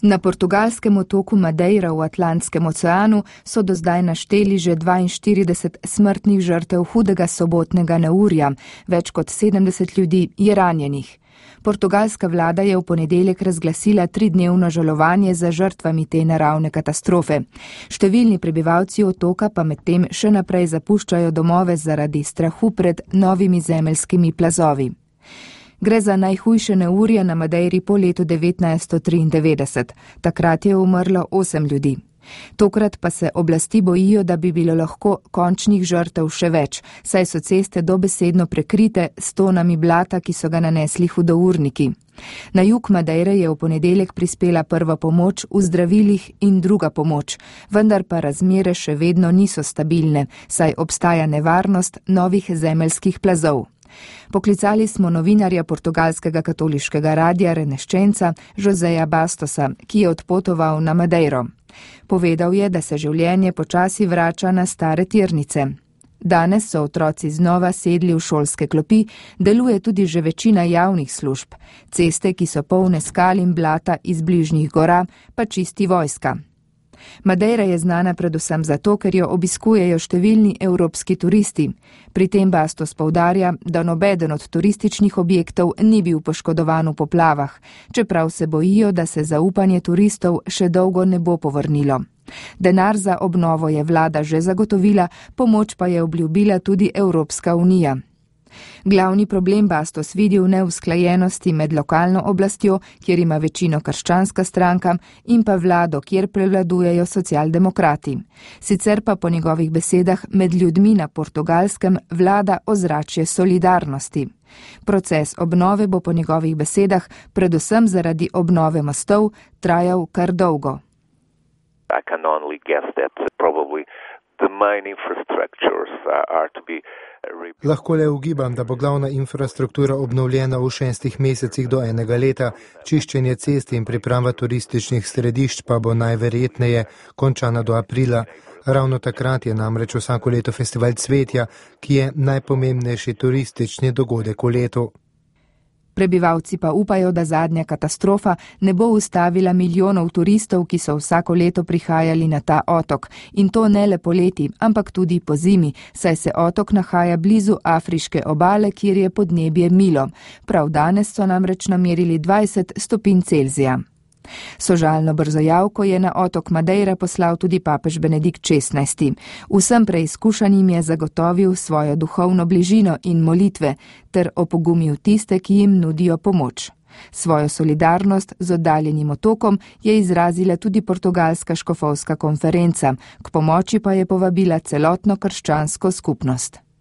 Na portugalskem otoku Madeira v Atlantskem oceanu so do zdaj našteli že 42 smrtnih žrtev hudega sobotnega neurja, več kot 70 ljudi je ranjenih. Portugalska vlada je v ponedeljek razglasila 3-dnevno žalovanje za žrtvami te naravne katastrofe. Številni prebivalci otoka pa medtem še naprej zapuščajo domove zaradi strahu pred novimi zemeljskimi plazovi. Gre za najhujše neurje na Madeiri po letu 1993. Takrat je umrlo 8 ljudi. Tokrat pa se oblasti bojijo, da bi bilo lahko končnih žrtev še več, saj so ceste dobesedno prekrite s tonami blata, ki so ga nanesli hudourniki. Na jug Madeire je v ponedeljek prispela prva pomoč v zdravilih in druga pomoč, vendar pa razmere še vedno niso stabilne, saj obstaja nevarnost novih zemeljskih plazov. Poklicali smo novinarja portugalskega katoliškega radia Reneščenca, Joseja Bastosa, ki je odpotoval na Madeiro. Povedal je, da se življenje počasi vrača na stare tirnice. Danes so otroci znova sedli v šolske klopi, deluje tudi že večina javnih služb. Ceste, ki so polne skal in blata iz bližnjih gora, pa čisti vojska. Madeira je znana predvsem zato, ker jo obiskujejo številni evropski turisti. Pri tem Bastos poudarja, da nobeden od turističnih objektov ni bil poškodovan v poplavah, čeprav se bojijo, da se zaupanje turistov še dolgo ne bo povrnilo. Denar za obnovo je vlada že zagotovila, pomoč pa je obljubila tudi Evropska unija. Glavni problem Bastos vidi v neusklajenosti med lokalno oblastjo, kjer ima večino krščanska stranka, in pa vlado, kjer prevladujejo socialdemokrati. Sicer pa po njegovih besedah med ljudmi na Portugalskem vlada ozračje solidarnosti. Proces obnove bo po njegovih besedah, predvsem zaradi obnove mostov, trajal kar dolgo. I can only guess that probably the main infrastructures are to be Lahko le ugibam, da bo glavna infrastruktura obnovljena v 6 mesecih do 1 leta, čiščenje cest in priprava turističnih središč pa bo najverjetneje končana do aprila. Ravno takrat je namreč vsako leto festival cvetja, ki je najpomembnejši turistični dogodek v letu. Prebivalci pa upajo, da zadnja katastrofa ne bo ustavila milijonov turistov, ki so vsako leto prihajali na ta otok. In to ne le poleti, ampak tudi po zimi, saj se otok nahaja blizu afriške obale, kjer je podnebje milo. Prav danes so namreč namerili 20 stopinj Celzija. Sožalno brzojavko je na otok Madeira poslal tudi papež Benedikt XVI. Vsem preizkušanim je zagotovil svojo duhovno bližino in molitve ter opogumil tiste, ki jim nudijo pomoč. Svojo solidarnost z oddaljenim otokom je izrazila tudi portugalska škofovska konferenca, k pomoči pa je povabila celotno krščansko skupnost.